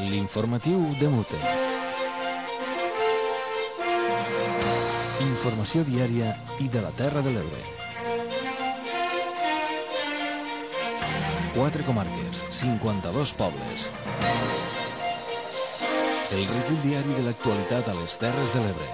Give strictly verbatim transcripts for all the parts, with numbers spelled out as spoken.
L'informatiu de Mute. Informació diària i de la Terra de l'Ebre. Quatre comarques, cinquanta-dos pobles. El recull diari de l'actualitat a les Terres de l'Ebre.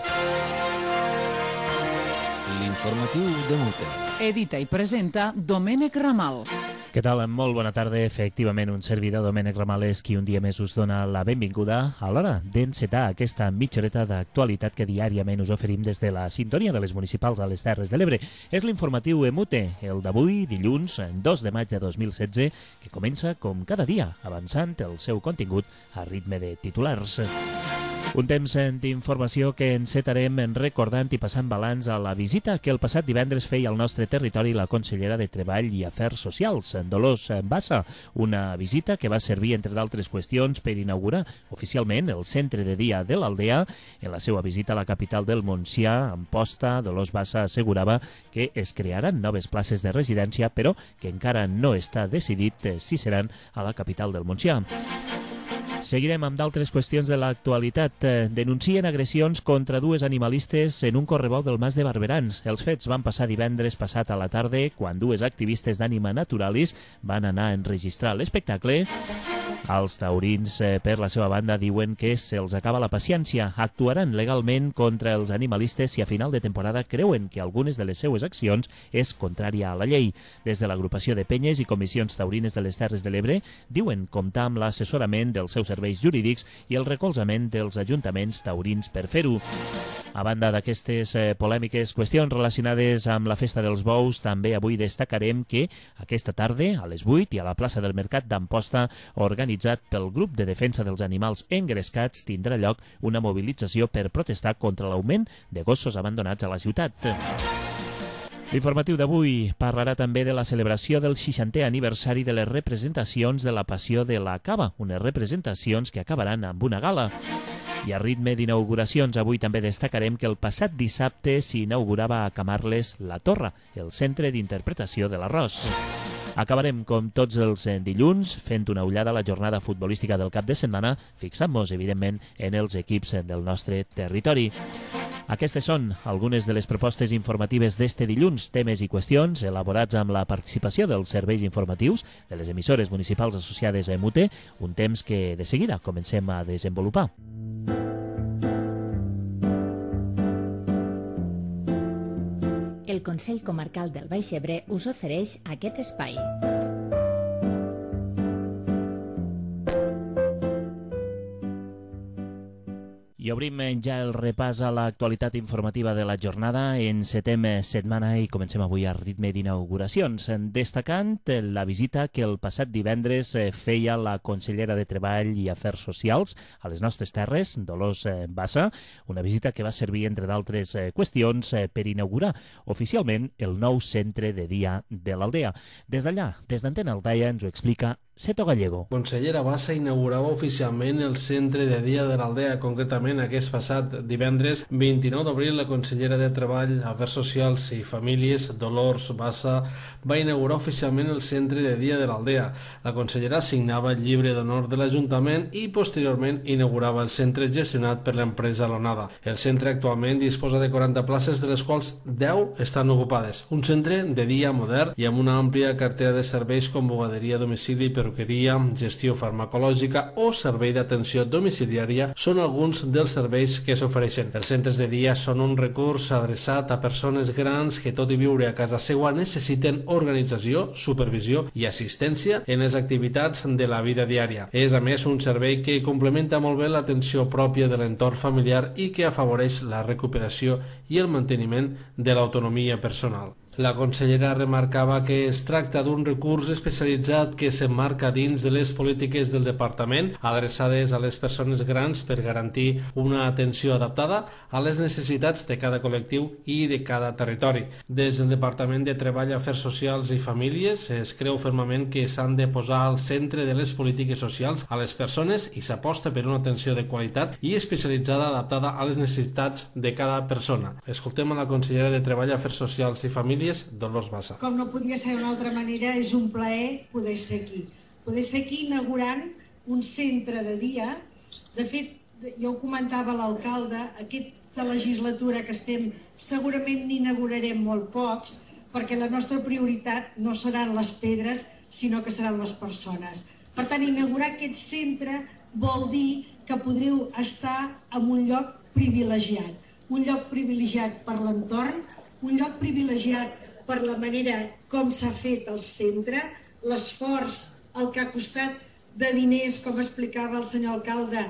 L'informatiu de Mute. Edita i presenta Domènec Ramal. Què tal? Molt bona tarda. Efectivament, un servidor, Domènec Ramal, és qui un dia més us dona la benvinguda a l'hora d'encetar aquesta mitja horeta d'actualitat que diàriament us oferim des de la sintonia de les municipals a les Terres de l'Ebre. És l'informatiu Emute, el d'avui, dilluns, dos de maig de dos mil setze, que comença, com cada dia, avançant el seu contingut a ritme de titulars. Un temps d'informació que encetarem recordant i passant balanç a la visita que el passat divendres feia al nostre territori la consellera de Treball i Afers Socials, Dolors Bassa. Una visita que va servir, entre d'altres qüestions, per inaugurar oficialment el centre de dia de l'Aldea. En la seva visita a la capital del Montsià, Amposta, Dolors Bassa assegurava que es crearan noves places de residència, però que encara no està decidit si seran a la capital del Montsià. Seguirem amb d'altres qüestions de l'actualitat. Denuncien agressions contra dues animalistes en un correbou del Mas de Barberans. Els fets van passar divendres passat a la tarda, quan dues activistes d'Ànima Naturalis van anar a enregistrar l'espectacle. Els taurins, per la seva banda, diuen que se'ls acaba la paciència. Actuaran legalment contra els animalistes si a final de temporada creuen que algunes de les seues accions és contrària a la llei. Des de l'agrupació de penyes i comissions taurines de les Terres de l'Ebre diuen comptar amb l'assessorament dels seus serveis jurídics i el recolzament dels ajuntaments taurins per fer-ho. A banda d'aquestes eh, polèmiques qüestions relacionades amb la Festa dels Bous, també avui destacarem que aquesta tarda, a les vuit, i a la plaça del Mercat d'Amposta, organitzat pel grup de defensa dels animals engrescats, tindrà lloc una mobilització per protestar contra l'augment de gossos abandonats a la ciutat. L'informatiu d'avui parlarà també de la celebració del seixantè aniversari de les representacions de la Passió de la Cava, unes representacions que acabaran amb una gala. I a ritme d'inauguracions, avui també destacarem que el passat dissabte s'inaugurava a Camarles la Torre, el centre d'interpretació de l'arròs. Acabarem, com tots els dilluns, fent una ullada a la jornada futbolística del cap de setmana, fixant-nos, evidentment, en els equips del nostre territori. Aquestes són algunes de les propostes informatives d'este dilluns, temes i qüestions elaborats amb la participació dels serveis informatius de les emissores municipals associades a Emute, un temps que de seguida comencem a desenvolupar. El Consell Comarcal del Baix Ebre us ofereix aquest espai. I obrim ja el repàs a l'actualitat informativa de la jornada. Encetem setmana i comencem avui a ritme d'inauguracions, destacant la visita que el passat divendres feia la consellera de Treball i Afers Socials a les nostres terres, Dolors Bassa, una visita que va servir, entre d'altres qüestions, per inaugurar oficialment el nou centre de dia de l'Aldea. Des d'allà, des d'Antena Aldaia, ens ho explica Seto Gallego. Consellera Bassa inaugurava oficialment el centre de dia de l'Aldea. Concretament, aquest passat divendres vint-i-nou d'abril, la consellera de Treball, Afers Socials i Famílies, Dolors Bassa, va inaugurar oficialment el centre de dia de l'Aldea. La consellera signava el llibre d'honor de l'Ajuntament i posteriorment inaugurava el centre gestionat per l'empresa Lonada. El centre actualment disposa de quaranta places, de les quals deu estan ocupades. Un centre de dia modern i amb una àmplia cartera de serveis com bugaderia a domicili, perruqueria, gestió farmacològica o servei d'atenció domiciliària són alguns dels serveis que s'ofereixen. Els centres de dia són un recurs adreçat a persones grans que, tot i viure a casa seva, necessiten organització, supervisió i assistència en les activitats de la vida diària. És, a més, un servei que complementa molt bé l'atenció pròpia de l'entorn familiar i que afavoreix la recuperació i el manteniment de l'autonomia personal. La consellera remarcava que es tracta d'un recurs especialitzat que s'emmarca dins de les polítiques del departament adreçades a les persones grans per garantir una atenció adaptada a les necessitats de cada col·lectiu i de cada territori. Des del Departament de Treball, Afers Socials i Famílies es creu fermament que s'han de posar al centre de les polítiques socials a les persones i s'aposta per una atenció de qualitat i especialitzada adaptada a les necessitats de cada persona. Escoltem a la consellera de Treball, Afers Socials i Famílies, Dolors Bassa. Com no podia ser d'una altra manera, és un plaer poder ser aquí. Poder ser aquí inaugurant un centre de dia. De fet, jo ho comentava l'alcalde, aquesta legislatura que estem segurament n'inaugurarem molt pocs, perquè la nostra prioritat no seran les pedres, sinó que seran les persones. Per tant, inaugurar aquest centre vol dir que podreu estar en un lloc privilegiat. Un lloc privilegiat per l'entorn, un lloc privilegiat per la manera com s'ha fet el centre, l'esforç, el que ha costat de diners, com explicava el senyor alcalde,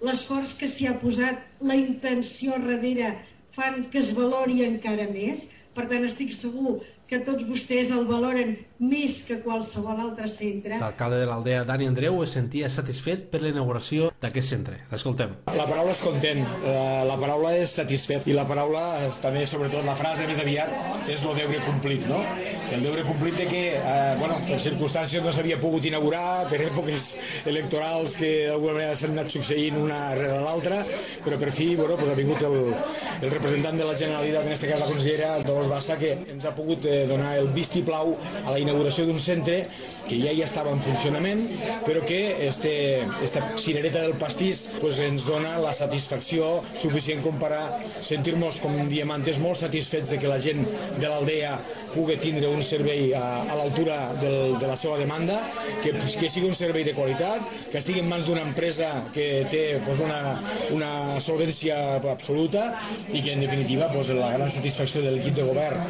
l'esforç que s'hi ha posat, la intenció darrere, fan que es valori encara més. Per tant, estic segur que tots vostès el valoren més que qualsevol altre centre. L'alcalde de l'Aldea, Dani Andreu, es sentia satisfet per la inauguració d'aquest centre. L'escoltem. La paraula és content, la paraula és satisfet i la paraula, també sobretot la frase més aviat, és el deure complit, no? El deure complit de que, eh, bueno, per circumstàncies no s'havia pogut inaugurar, per èpoques electorals que d'alguna manera s'han anat succeint una rere l'altra, però per fi, bueno, pues ha vingut el, el representant de la Generalitat, en aquest cas la consellera Dolors Bassa, que ens ha pogut eh, donar el vistiplau a la inauguració d'un centre que ja ja estava en funcionament, però que este, esta cirereta del pastís pues, ens dona la satisfacció suficient com per a sentir-nos com diamantes molt satisfets de que la gent de l'Aldea pugui tindre un servei a, a l'altura del, de la seva demanda, que, que sigui un servei de qualitat, que estigui en mans d'una empresa que té pues, una, una solvència absoluta i que en definitiva pues, la gran satisfacció de l'equip de govern,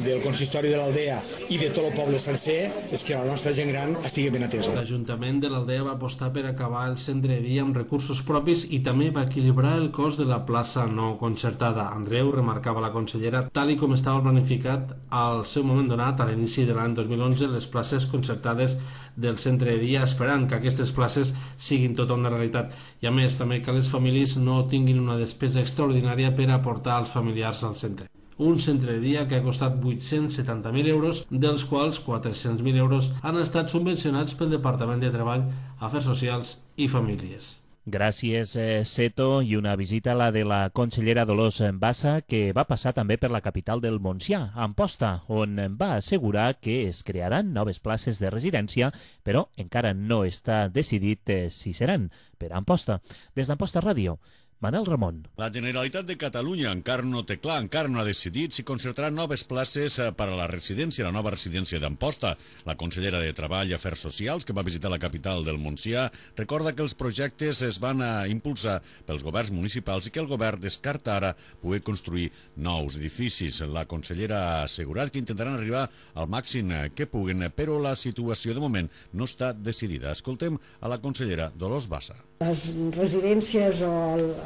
del consistori de l'Aldea i de tot el poble sencer és que la nostra gent gran estigui ben atesa. L'Ajuntament de l'Aldea va apostar per acabar el centre de dia amb recursos propis i també va equilibrar el cost de la plaça no concertada. Andreu, remarcava la consellera, tal i com estava planificat al seu moment donat, a l'inici de l'any dos mil onze, les places concertades del centre de dia, esperant que aquestes places siguin tota una realitat. I a més, també que les famílies no tinguin una despesa extraordinària per aportar els familiars al centre. Un centre de dia que ha costat vuit-cents setanta mil euros, dels quals quatre-cents mil euros han estat subvencionats pel Departament de Treball, Afers Socials i Famílies. Gràcies, eh, Seto, i una visita a la de la consellera Dolors Bassa, que va passar també per la capital del Montsià, Amposta, on va assegurar que es crearan noves places de residència, però encara no està decidit eh, si seran per Amposta. Des d'Amposta Ràdio, Manel Ramon. La Generalitat de Catalunya encara no té clar, encara no ha decidit si concertarà noves places per a la residència, la nova residència d'Amposta. La consellera de Treball i Afers Socials, que va visitar la capital del Montsià, recorda que els projectes es van a impulsar pels governs municipals i que el govern descarta ara poder construir nous edificis. La consellera ha assegurat que intentaran arribar al màxim que puguen, però la situació de moment no està decidida. Escoltem a la consellera Dolors Bassa. Les residències o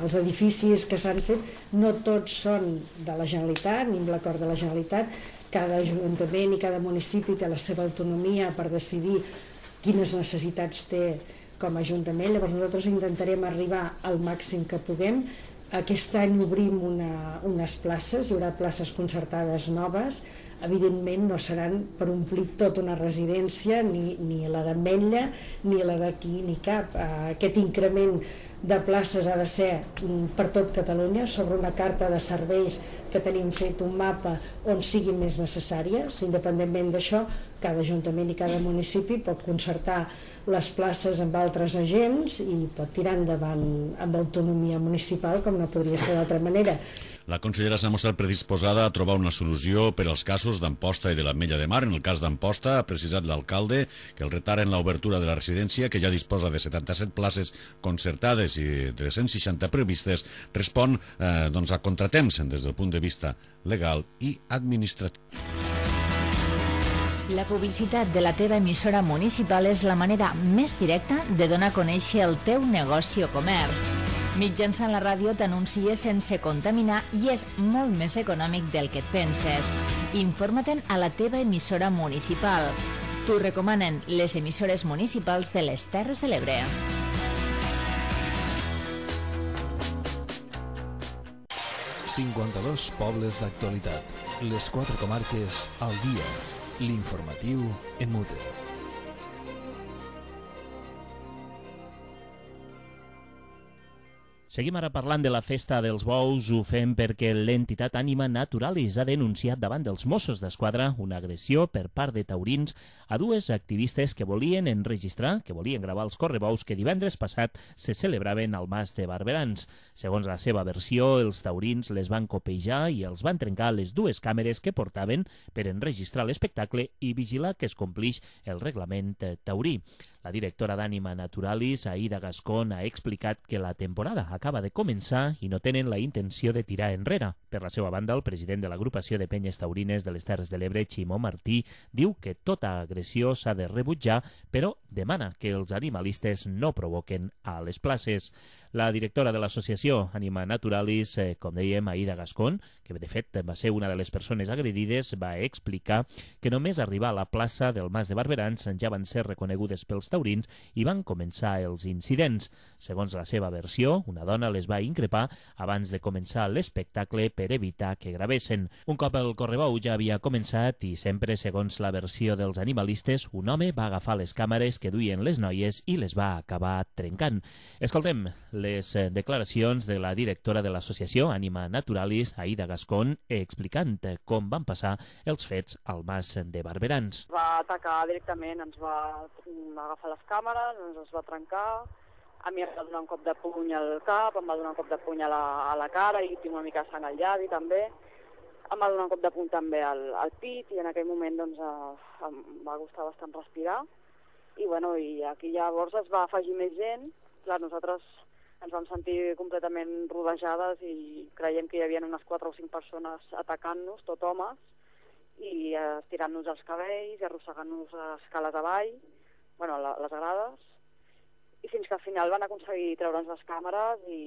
els edificis que s'han fet no tots són de la Generalitat ni amb l'acord de la Generalitat. Cada ajuntament i cada municipi té la seva autonomia per decidir quines necessitats té com a ajuntament. Llavors nosaltres intentarem arribar al màxim que puguem. Aquest any obrim una, unes places, hi haurà places concertades noves. Evidentment no seran per omplir tota una residència, ni, ni la d'Ametlla ni la d'aquí ni cap. Aquest increment de places ha de ser per tot Catalunya, sobre una carta de serveis que tenim fet un mapa on siguin més necessàries. Independentment d'això, cada ajuntament i cada municipi pot concertar les places amb altres agents i pot tirar endavant amb autonomia municipal, com no podria ser d'altra manera. La consellera s'ha mostrat predisposada a trobar una solució per als casos d'Amposta i de l'Ametlla de Mar. En el cas d'Amposta, ha precisat l'alcalde que el retard en l'obertura de la residència, que ja disposa de setanta-set places concertades i tres cents seixanta previstes, respon eh, doncs a contratemps des del punt de vista legal i administratiu. La publicitat de la teva emissora municipal és la manera més directa de donar a conèixer el teu negoci o comerç. Mitjançant la ràdio t'anuncies sense contaminar i és molt més econòmic del que et penses. Informa-te'n a la teva emissora municipal. T'ho recomanen les emissores municipals de les Terres de l'Ebre. cinquanta-dos pobles d'actualitat. Les quatre comarques al dia. L'informatiu en mute. Seguim ara parlant de la festa dels bous. Ho fem perquè l'entitat Anima Naturalis ha denunciat davant dels Mossos d'Esquadra una agressió per part de taurins a dues activistes que volien enregistrar, que volien gravar els correbous que divendres passat se celebraven al Mas de Barberans. Segons la seva versió, els taurins les van copejar i els van trencar les dues càmeres que portaven per enregistrar l'espectacle i vigilar que es complix el reglament taurí. La directora d'Anima Naturalis, Aida Gascón, ha explicat que la temporada acaba de començar i no tenen la intenció de tirar enrere. Per la seva banda, el president de l'agrupació de penyes taurines de les Terres de l'Ebre, Ximo Martí, diu que tota agressió s'ha de rebutjar, però demana que els animalistes no provoquen a les places. La directora de l'associació Anima Naturalis, eh, com dèiem, Aida Gascón, que de fet va ser una de les persones agredides, va explicar que només arribar a la plaça del Mas de Barberans ja van ser reconegudes pels taurins i van començar els incidents. Segons la seva versió, una dona les va increpar abans de començar l'espectacle per evitar que gravessin. Un cop el correbou ja havia començat i sempre, segons la versió dels animalistes, un home va agafar les càmeres que duien les noies i les va acabar trencant. Escoltem les declaracions de la directora de l'associació Anima Naturalis, Aida Gascón, explicant com van passar els fets al Mas de Barberans. Va atacar directament, ens va agafar les càmeres, ens les va trencar, a mi em va donar un cop de puny al cap, em va donar un cop de puny a la, a la cara i tinc una mica de sang al llavi també, em va donar un cop de puny també al, al pit i en aquell moment doncs, eh, em va costar bastant respirar i, bueno, i aquí llavors es va afegir més gent. Clar, nosaltres ens vam sentir completament rodejades i creiem que hi havia unes quatre o cinc persones atacant-nos, tot homes, i estirant-nos els cabells i arrossegant-nos escales avall, bueno, les grades, i fins que al final van aconseguir treure'ns les càmeres i,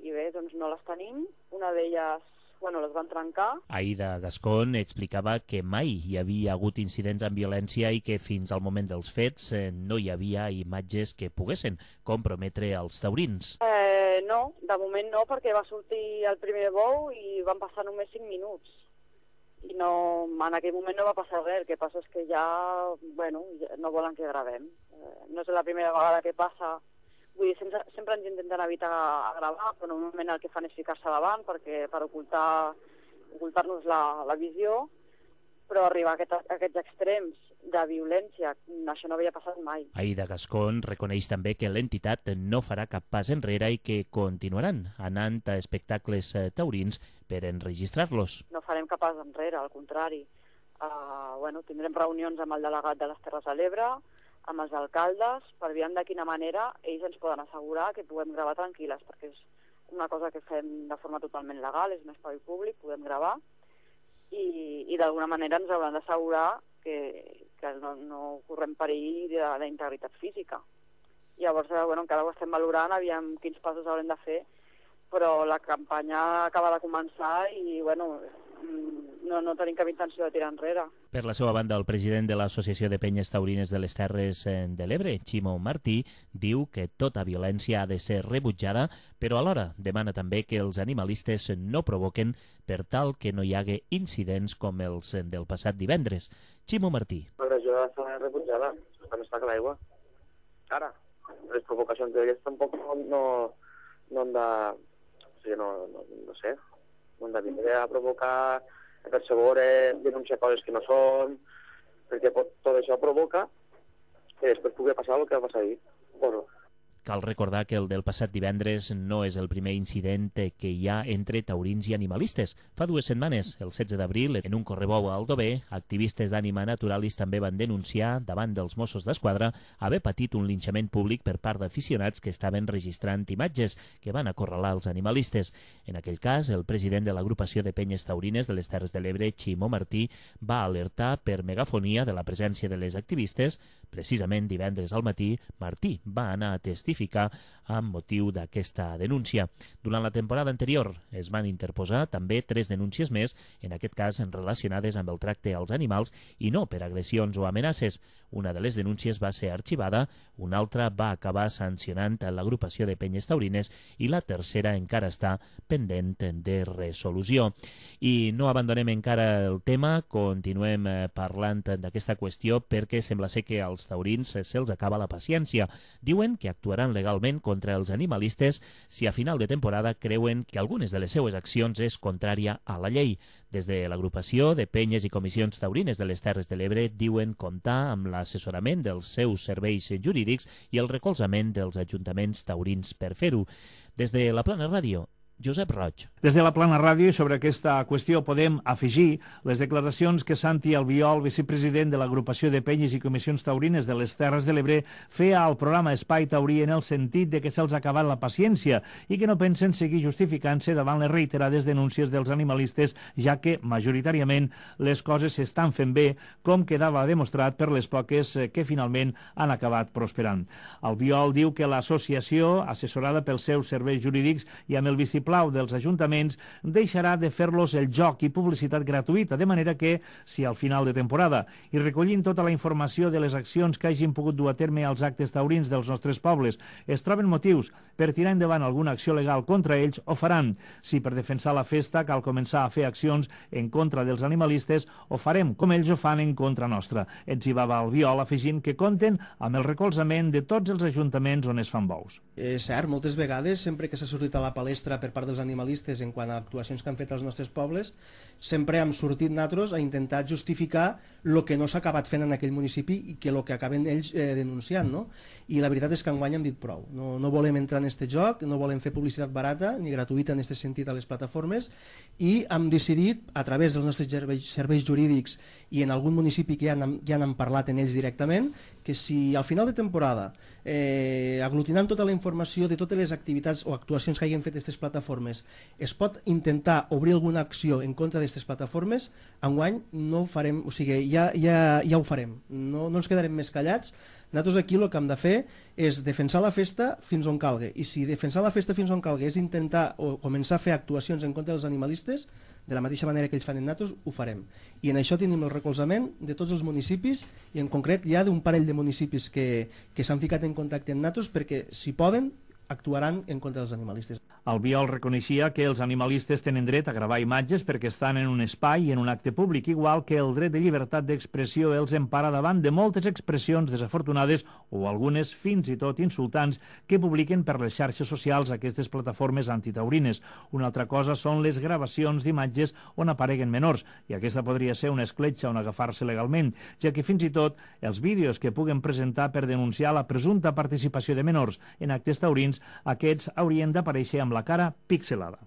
i bé, doncs no les tenim. Una d'elles, bueno, les van trencar. Aida Gascón explicava que mai hi havia hagut incidents amb violència i que fins al moment dels fets eh, no hi havia imatges que poguessin comprometre els taurins. Eh, no, de moment no, perquè va sortir el primer bou i van passar només cinc minuts. I no, en aquell moment no va passar res, el que passa és que ja, bueno, ja no volen que gravem. Eh, no és la primera vegada que passa, vull dir, sempre, sempre ens intenten evitar gravar, però normalment el que fan és ficar-se davant perquè, per ocultar, ocultar-nos la, la visió, però arribar a, aquest, a aquests extrems de violència, això no havia passat mai. Aida Gascón reconeix també que l'entitat no farà cap pas enrere i que continuaran anant a espectacles taurins per enregistrar-los. No farem cap pas enrere, al contrari. Uh, bueno, tindrem reunions amb el delegat de les Terres de l'Ebre, amb els alcaldes, per veure de quina manera ells ens poden assegurar que puguem gravar tranquil·les, perquè és una cosa que fem de forma totalment legal, és un espai públic, podem gravar, i, i d'alguna manera ens hauran d'assegurar que, que no, no correm perill de la integritat física. Llavors, bueno, encara ho estem valorant, aviam quins passos haurem de fer, però la campanya acaba de començar i, bueno, no, no tenim cap intenció de tirar enrere. Per la seva banda, el president de l'Associació de Penyes Taurines de les Terres de l'Ebre, Ximo Martí, diu que tota violència ha de ser rebutjada, però alhora demana també que els animalistes no provoquen per tal que no hi hagi incidents com els del passat divendres. Ximo Martí. L'agressió ha de ser rebutjada, està més clar que l'aigua. Ara, les provocacions d'elles tampoc no, no, no han de... O sigui, no, no, no sé, no han de vindre a provocar, a percebre, denunciar coses que no són, perquè tot això provoca que després pugui passar el que va passar ahir. Bueno, cal recordar que el del passat divendres no és el primer incident que hi ha entre taurins i animalistes. Fa dues setmanes, el setze d'abril, en un correbou a Aldover, activistes d'Anima Naturalis també van denunciar davant dels Mossos d'Esquadra haver patit un linxament públic per part d'aficionats que estaven registrant imatges que van acorralar els animalistes. En aquell cas, el president de l'agrupació de penyes taurines de les Terres de l'Ebre, Ximo Martí, va alertar per megafonia de la presència de les activistes. Precisament divendres al matí, Martí va anar a testificar amb motiu d'aquesta denúncia. Durant la temporada anterior es van interposar també tres denúncies més, en aquest cas relacionades amb el tracte als animals i no per agressions o amenaces. Una de les denúncies va ser arxivada, una altra va acabar sancionant l'agrupació de penyes taurines i la tercera encara està pendent de resolució. I no abandonem encara el tema, continuem parlant d'aquesta qüestió perquè sembla ser que als als taurins se'ls acaba la paciència. Diuen que actuaran legalment contra els animalistes si a final de temporada creuen que algunes de les seues accions és contrària a la llei. Des de l'agrupació de penyes i comissions taurines de les Terres de l'Ebre diuen comptar amb l'assessorament dels seus serveis jurídics i el recolzament dels ajuntaments taurins per fer-ho. Des de la Plana Ràdio, Josep Roig. Des de la Plana Ràdio i sobre aquesta qüestió podem afegir les declaracions que Santi Albiol, vicepresident de l'agrupació de penyes i comissions taurines de les Terres de l'Ebre, feia al programa Espai Taurí en el sentit de que se'ls ha acabat la paciència i que no pensen seguir justificant-se davant les reiterades denúncies dels animalistes, ja que majoritàriament les coses s'estan fent bé, com quedava demostrat per les poques que finalment han acabat prosperant. Albiol diu que l'associació, assessorada pels seus serveis jurídics i amb el vistiplau dels ajuntaments, deixarà de fer-los el joc i publicitat gratuïta, de manera que, si al final de temporada, i recollint tota la informació de les accions que hagin pogut dur a terme als actes taurins dels nostres pobles, es troben motius per tirar endavant alguna acció legal contra ells, ho faran. Si per defensar la festa cal començar a fer accions en contra dels animalistes, ho farem com ells ho fan en contra nostra. Etzibava Albiol, afegint que compten amb el recolzament de tots els ajuntaments on es fan bous. És cert, moltes vegades, sempre que s'ha sortit a la palestra per part dels animalistes en quant a actuacions que han fet als nostres pobles, sempre hem sortit nosaltres a intentar justificar el que no s'ha acabat fent en aquell municipi i que el que acaben ells eh, denunciant, no? I la veritat és que enguany hem dit prou. No, no volem entrar en aquest joc, no volem fer publicitat barata ni gratuïta en aquest sentit a les plataformes i hem decidit, a través dels nostres serveis, serveis jurídics i en algun municipi que ja han, ja han parlat en ells directament, que si al final de temporada, eh, aglutinant tota la informació de totes les activitats o actuacions que hagin fet aquestes plataformes, es pot intentar obrir alguna acció en contra d'aquestes plataformes, enguany no ho farem, o sigui, ja, ja, ja ho farem, no, no ens quedarem més callats. Nosaltres aquí el que hem de fer és defensar la festa fins on calgui, i si defensar la festa fins on calgui és intentar o començar a fer actuacions en contra dels animalistes, de la mateixa manera que ells fan en nosaltres, ho farem. I en això tenim el recolzament de tots els municipis, i en concret hi ha d'un parell de municipis que, que s'han ficat en contacte amb nosaltres perquè, si poden, actuaran en contra dels animalistes. Albiol reconeixia que els animalistes tenen dret a gravar imatges perquè estan en un espai i en un acte públic, igual que el dret de llibertat d'expressió els empara davant de moltes expressions desafortunades o algunes fins i tot insultants que publiquen per les xarxes socials aquestes plataformes antitaurines. Una altra cosa són les gravacions d'imatges on apareguen menors, i aquesta podria ser una escletxa on agafar-se legalment, ja que fins i tot els vídeos que puguen presentar per denunciar la presumpta participació de menors en actes taurins, aquests haurien d'aparèixer amb la cara pixelada.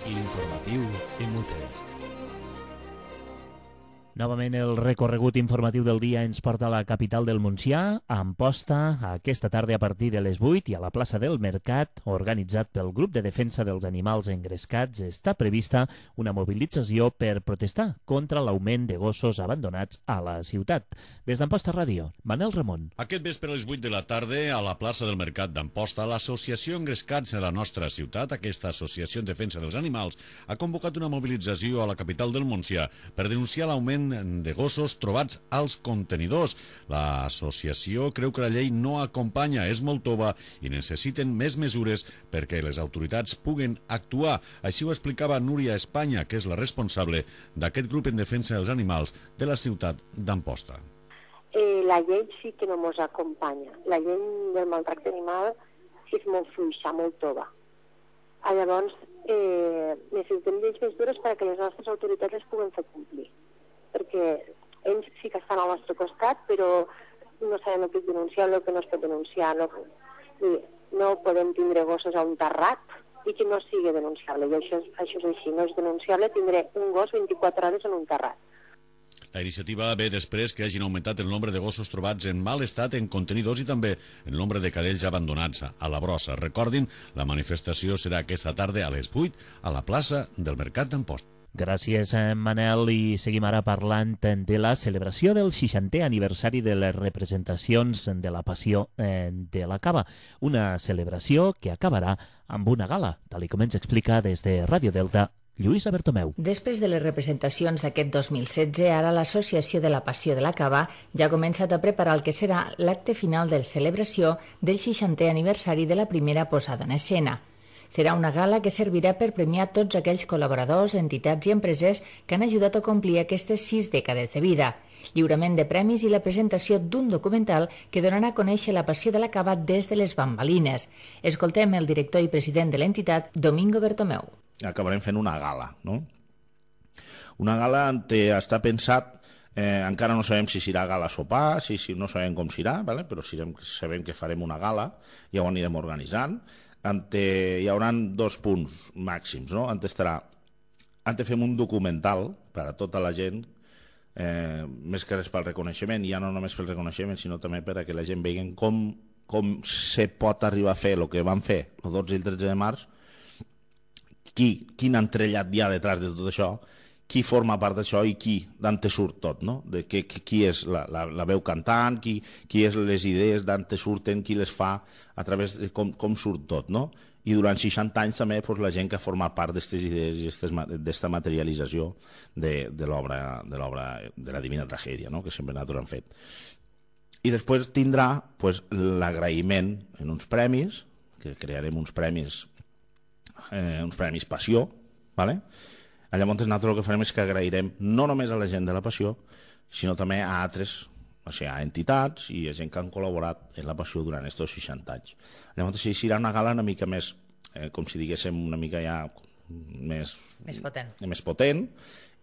L'informatiu M U T. Novament el recorregut informatiu del dia ens porta a la capital del Montsià, a Amposta, aquesta tarda a partir de les vuit, i a la plaça del Mercat, organitzat pel grup de defensa dels animals engrescats, està prevista una mobilització per protestar contra l'augment de gossos abandonats a la ciutat. Des d'Amposta Ràdio, Manel Ramon. Aquest vespre a les vuit de la tarda, a la plaça del Mercat d'Amposta, l'Associació Engrescats de la nostra ciutat, aquesta associació en defensa dels animals, ha convocat una mobilització a la capital del Montsià per denunciar l'augment de gossos trobats als contenidors. L'associació creu que la llei no acompanya, és molt tova i necessiten més mesures perquè les autoritats puguen actuar. Així ho explicava Núria Espanya, que és la responsable d'aquest grup en defensa dels animals de la ciutat d'Amposta. Eh, la llei sí que no ens acompanya. La llei del maltracte animal és molt fluixa, molt tova. Ah, llavors, eh, necessitem lleis més dures perquè les nostres autoritats les puguen fer complir. Perquè ells sí que estan al nostre costat, però no sabem el que és denunciar, el que no es pot denunciar. No, no podem tindre gossos a un terrat i que no sigui denunciable. I això, això és així, no és denunciable tindre un gos vint-i-quatre hores en un terrat. La iniciativa ve després que hagin augmentat el nombre de gossos trobats en mal estat en contenidors i també el nombre de cadells abandonats a la brossa. Recordin, la manifestació serà aquesta tarda a les vuit a la plaça del Mercat d'Amposta. Gràcies, Manel, i seguim ara parlant de la celebració del seixantè aniversari de les representacions de la Passió de la Cava, una celebració que acabarà amb una gala, tal com ens explica des de Ràdio Delta Lluïsa Bertomeu. Després de les representacions d'aquest dos mil setze, ara l'Associació de la Passió de la Cava ja ha començat a preparar el que serà l'acte final de celebració del seixantè aniversari de la primera posada en escena. Serà una gala que servirà per premiar tots aquells col·laboradors, entitats i empreses que han ajudat a complir aquestes sis dècades de vida. Lliurament de premis i la presentació d'un documental que donarà a conèixer la passió de la cava des de les bambalines. Escoltem el director i president de l'entitat, Domingo Bertomeu. Acabarem fent una gala, no? Una gala on està pensat, eh, encara no sabem si serà gala sopar, si, si no sabem com serà, ¿vale? Però sabem, sabem que farem una gala, ja ho anirem organitzant. Ante, hi haurà dos punts màxims, no? Ante estarà, ante fem un documental per a tota la gent, eh, més que res pel reconeixement, ja no només pel reconeixement, sinó també per a que la gent vegui com, com se pot arribar a fer el que van fer el dotze i el tretze de març, qui, quin entrellat hi ha detrás de tot això, qui forma part d'això i qui d'on te surt tot, no? De que, qui és la, la, la veu cantant, qui, qui és les idees d'on te surten, qui les fa, a través de com, com surt tot, no? I durant seixanta anys també pues, la gent que ha format part d'aquestes idees i d'aquesta materialització de, de l'obra de l'obra de la Divina Tragèdia, no? Que sempre nosaltres han fet. I després tindrà pues, l'agraïment en uns premis, que crearem uns premis, eh, uns premis Passió, ¿vale? Llavors nosaltres el que farem és que agrairem no només a la gent de la Passió, sinó també a altres, o sigui, a entitats i a gent que han col·laborat en la Passió durant aquests seixanta anys. Llavors sí, serà una gala una mica més, eh, com si diguéssim, una mica ja més, més potent, més potent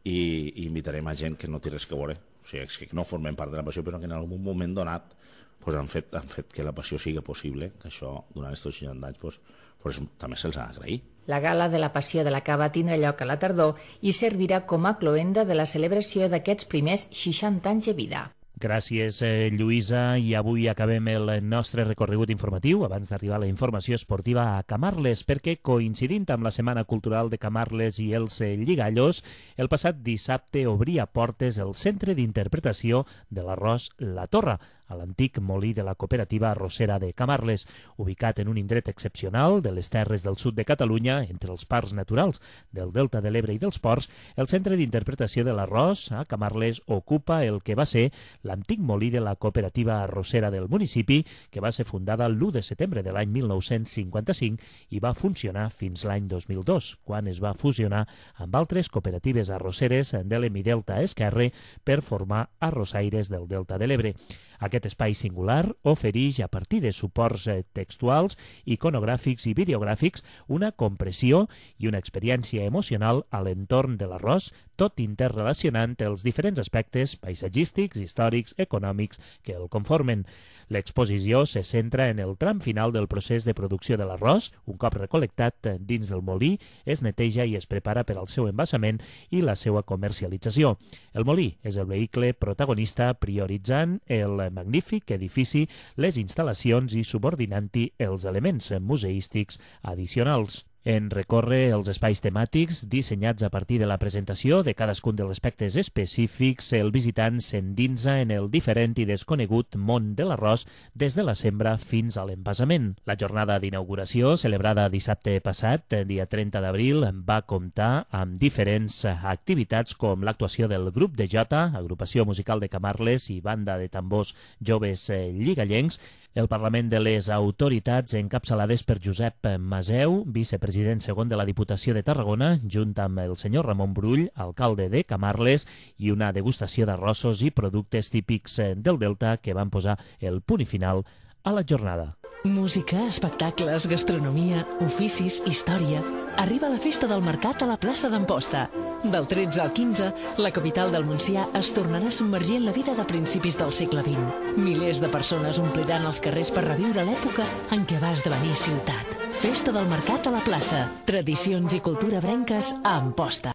i, i invitarem a gent que no té res que veure, o sigui, que no formem part de la Passió, però que en algun moment donat pues, han, fet, han fet que la Passió sigui possible, que això durant aquests seixanta anys pues, pues, també se'ls ha d'agrair. La gala de la Passió de la Cava tindrà lloc a la tardor i servirà com a cloenda de la celebració d'aquests primers seixanta anys de vida. Gràcies, eh, Lluïsa, i avui acabem el nostre recorregut informatiu abans d'arribar a la informació esportiva a Camarles, perquè coincidint amb la Setmana Cultural de Camarles i els eh, Lligallos, el passat dissabte obria portes el Centre d'Interpretació de l'Arròs La Torre, a l'antic molí de la cooperativa arrossera de Camarles, ubicat en un indret excepcional de les terres del sud de Catalunya, entre els parcs naturals del Delta de l'Ebre i dels Ports. El Centre d'Interpretació de l'Arròs a Camarles ocupa el que va ser l'antic molí de la cooperativa arrossera del municipi, que va ser fundada l'u de setembre de l'any mil nou-cents cinquanta-cinc i va funcionar fins l'any dos mil dos, quan es va fusionar amb altres cooperatives arrosseres de l'Hemidelta Esquerre per formar arrossaires del Delta de l'Ebre. Aquest espai singular ofereix, a partir de suports textuals, iconogràfics i videogràfics, una compressió i una experiència emocional a l'entorn de l'arròs, tot interrelacionant els diferents aspectes paisatgístics, històrics, econòmics que el conformen. L'exposició se centra en el tram final del procés de producció de l'arròs. Un cop recol·lectat dins del molí, es neteja i es prepara per al seu embassament i la seva comercialització. El molí és el vehicle protagonista, prioritzant el magnífic edifici, les instal·lacions i subordinant-hi els elements museístics addicionals. En recórrer els espais temàtics dissenyats a partir de la presentació de cadascun dels aspectes específics, el visitant s'endinsa en el diferent i desconegut món de l'arròs des de la sembra fins a l'embassament. La jornada d'inauguració, celebrada dissabte passat, dia trenta d'abril, va comptar amb diferents activitats com l'actuació del grup de Jota, agrupació musical de Camarles i banda de tambors joves lligallencs, el Parlament de les Autoritats, encapçalades per Josep Maseu, vicepresident segon de la Diputació de Tarragona, junt amb el senyor Ramon Brull, alcalde de Camarles, i una degustació d'arrossos i productes típics del Delta que van posar el punt i final a la jornada. Música, espectacles, gastronomia, oficis, història. Arriba la festa del mercat a la plaça d'Amposta. Del tretze al quinze, la capital del Montsià es tornarà a submergir en la vida de principis del segle vint. Milers de persones ompliran els carrers per reviure l'època en què va esdevenir ciutat. Festa del mercat a la plaça. Tradicions i cultura brenques a Amposta.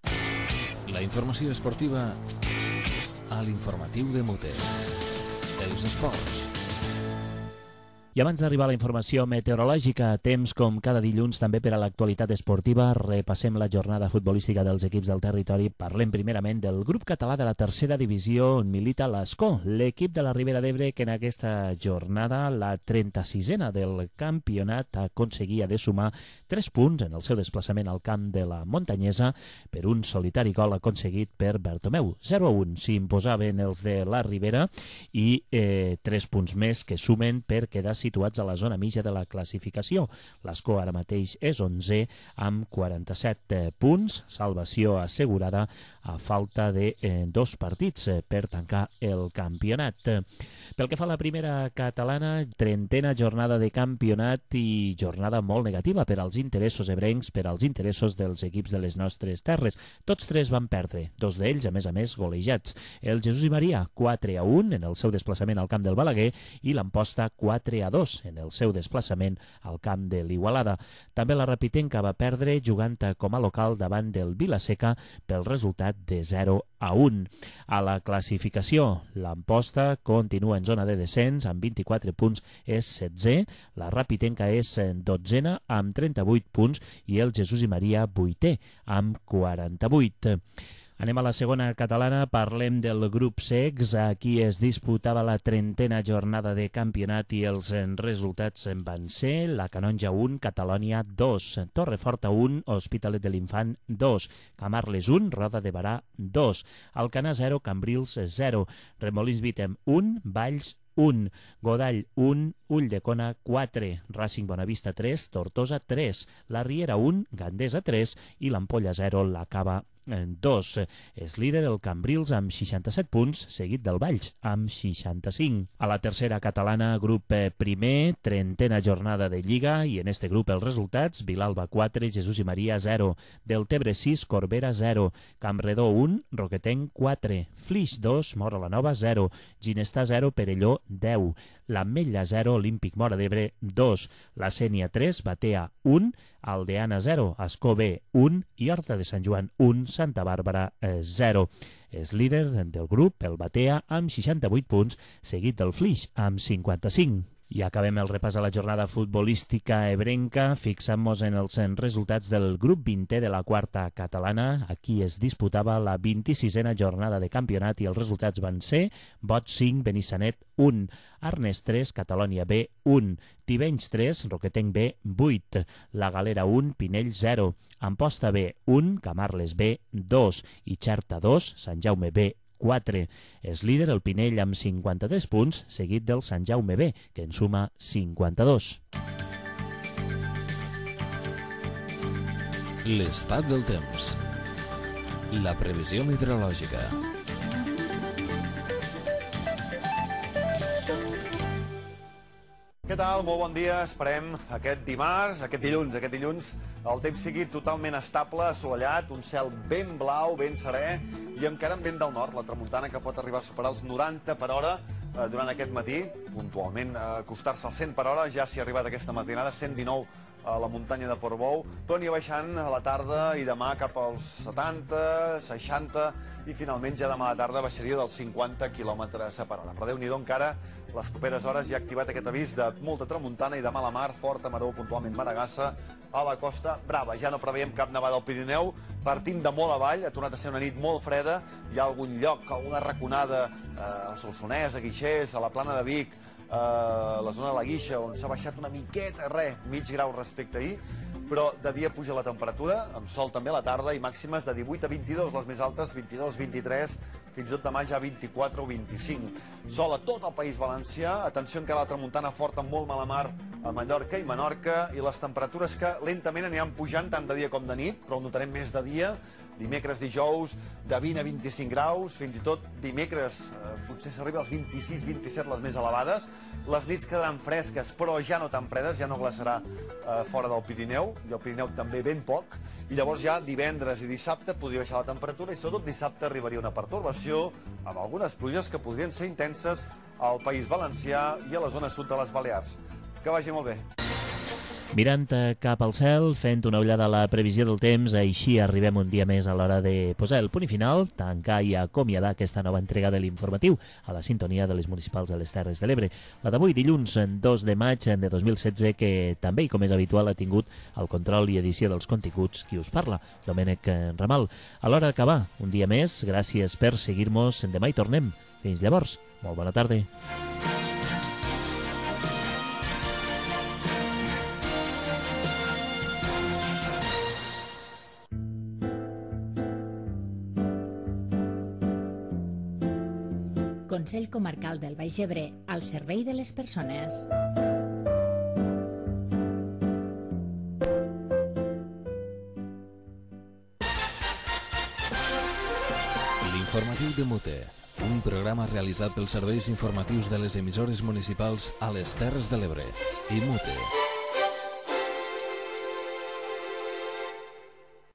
La informació esportiva a l'informatiu de Mute. Els esports. I abans d'arribar a la informació meteorològica, temps com cada dilluns també per a l'actualitat esportiva, repassem la jornada futbolística dels equips del territori. Parlem primerament del grup català de la tercera divisió on milita l'Escó, l'equip de la Ribera d'Ebre que en aquesta jornada, la trenta-sisena del campionat, aconseguia de sumar tres punts en el seu desplaçament al camp de la Montanyesa per un solitari gol aconseguit per Bertomeu. zero a un s'imposaven els de la Ribera i eh, tres punts més que sumen per quedar situats a la zona mitja de la classificació. L'Escó ara mateix és onzè amb quaranta-set punts, salvació assegurada a falta de eh, dos partits eh, per tancar el campionat. Pel que fa a la primera catalana, trentena jornada de campionat i jornada molt negativa per als interessos ebrencs, per als interessos dels equips de les nostres terres. Tots tres van perdre, dos d'ells, a més a més, golejats. El Jesús i Maria, quatre a un en el seu desplaçament al camp del Balaguer i l'Amposta, quatre a dos en el seu desplaçament al camp de l'Igualada. També la Rapitenca va perdre jugant com a local davant del Vilaseca pel resultat de zero a un. A la classificació, l'Amposta continua en zona de descens amb vint-i-quatre punts, és setzè, la Rapitenca és dotzena amb trenta-vuit punts i el Jesús i Maria vuitè amb quaranta-vuit. Anem a la segona catalana, parlem del grup Secs. Aquí es disputava la trentena jornada de campionat i els resultats van ser la Canonja un, Catalònia dos, Torreforta un, Hospitalet de l'Infant dos, Camarles un, Roda de Barà dos, Alcanar zero, Cambrils zero, Remolins Vitem un, Valls un, Godall un, Ulldecona quatre, Racing Bonavista tres, Tortosa tres, la Riera un, Gandesa tres i l'Ampolla zero, la Cava dos. És líder el Cambrils amb seixanta-set punts, seguit del Valls amb seixanta-cinc. A la tercera catalana, grup primer, trentena jornada de Lliga, i en este grup els resultats: Vilalba quatre, Jesús i Maria zero, Deltebre sis, Corbera zero, Campredó un, Roquetenc quatre, Flix dos, Mora la Nova zero, Ginestar zero, Perelló deu, l'Ametlla zero, Olímpic Móra d'Ebre dos, la Sénia tres, Batea un, Aldeana zero, Ascó B un i Horta de Sant Joan un, Santa Bàrbara zero. És líder del grup el Batea amb seixanta-vuit punts, seguit del Flix amb cinquanta-cinc. I acabem el repàs a la jornada futbolística ebrenca, fixant-nos en els resultats del grup vintè de la quarta catalana. Aquí es disputava la vint-i-sisena jornada de campionat i els resultats van ser Bot cinc, Benissanet un, Arnes tres, Catalònia B un, Tivenys tres, Roquetenc B vuit, La Galera un, Pinell zero, Amposta B un, Camarles B dos i Xerta dos, Sant Jaume B quatre. És líder el Pinell amb cinquanta-tres punts, seguit del Sant Jaume B, que en suma cinquanta-dos. L'estat del temps. La previsió meteorològica. Què tal? Molt bon dia. Esperem aquest dimarts, aquest dilluns, aquest dilluns el temps sigui totalment estable, assolellat, un cel ben blau, ben serè i encara amb vent del nord, la tramuntana que pot arribar a superar els noranta per hora eh, durant aquest matí, puntualment eh, acostar-se als cent per hora, ja s'hi ha arribat aquesta matinada, cent dinou a la muntanya de Portbou, torni baixant a la tarda i demà cap als setanta, seixanta i finalment ja demà a la tarda baixaria dels cinquanta quilòmetres per hora. Però Déu-n'hi-do, encara les properes hores ja ha activat aquest avís de molta tramuntana i demà a la mar, forta maror, puntualment maragassa, a la Costa Brava. Ja no preveiem cap nevada al Pirineu, partint de molt avall, ha tornat a ser una nit molt freda, hi ha algun lloc, alguna raconada eh, al Solsonès, a Guixers, a la Plana de Vic, eh, a la zona de la Guixa, on s'ha baixat una miqueta, res, mig grau respecte a ahir, però de dia puja la temperatura, amb sol també a la tarda i màximes de divuit a vint-i-dos, les més altes vint-i-dos, vint-i-tres, fins i tot demà ja vint-i-quatre o vint-i-cinc. Sol a tot el País Valencià, atenció encara a la tramuntana forta molt mala mar a Mallorca i Menorca, i les temperatures que lentament aniran pujant tant de dia com de nit, però ho notarem més de dia, dimecres, dijous, de vint a vint-i-cinc graus, fins i tot dimecres eh, potser s'arriba als vint-i-sis vint-i-set les més elevades. Les nits quedaran fresques, però ja no tan fredes, ja no glaçarà eh, fora del Pirineu, i el Pirineu també ben poc, i llavors ja divendres i dissabte podria baixar la temperatura, i sobretot dissabte arribaria una pertorbació amb algunes pluges que podrien ser intenses al País Valencià i a la zona sud de les Balears. Que vagi molt bé. Mirant cap al cel, fent una ullada a la previsió del temps, així arribem un dia més a l'hora de posar el punt i final, tancar i acomiadar aquesta nova entrega de l'informatiu a la sintonia de les municipals de les Terres de l'Ebre. La d'avui, dilluns dos de maig de dos mil setze, que també, i com és habitual, ha tingut el control i edició dels continguts qui us parla, Domènec Ramal. A l'hora d'acabar, un dia més, gràcies per seguir-nos, demà hi tornem. Fins llavors, molt bona tarda. Consell Comarcal del Baix Ebre, al servei de les persones. L'informatiu de Mute, un programa realitzat pels serveis informatius de les emissores municipals a les Terres de l'Ebre i Mute.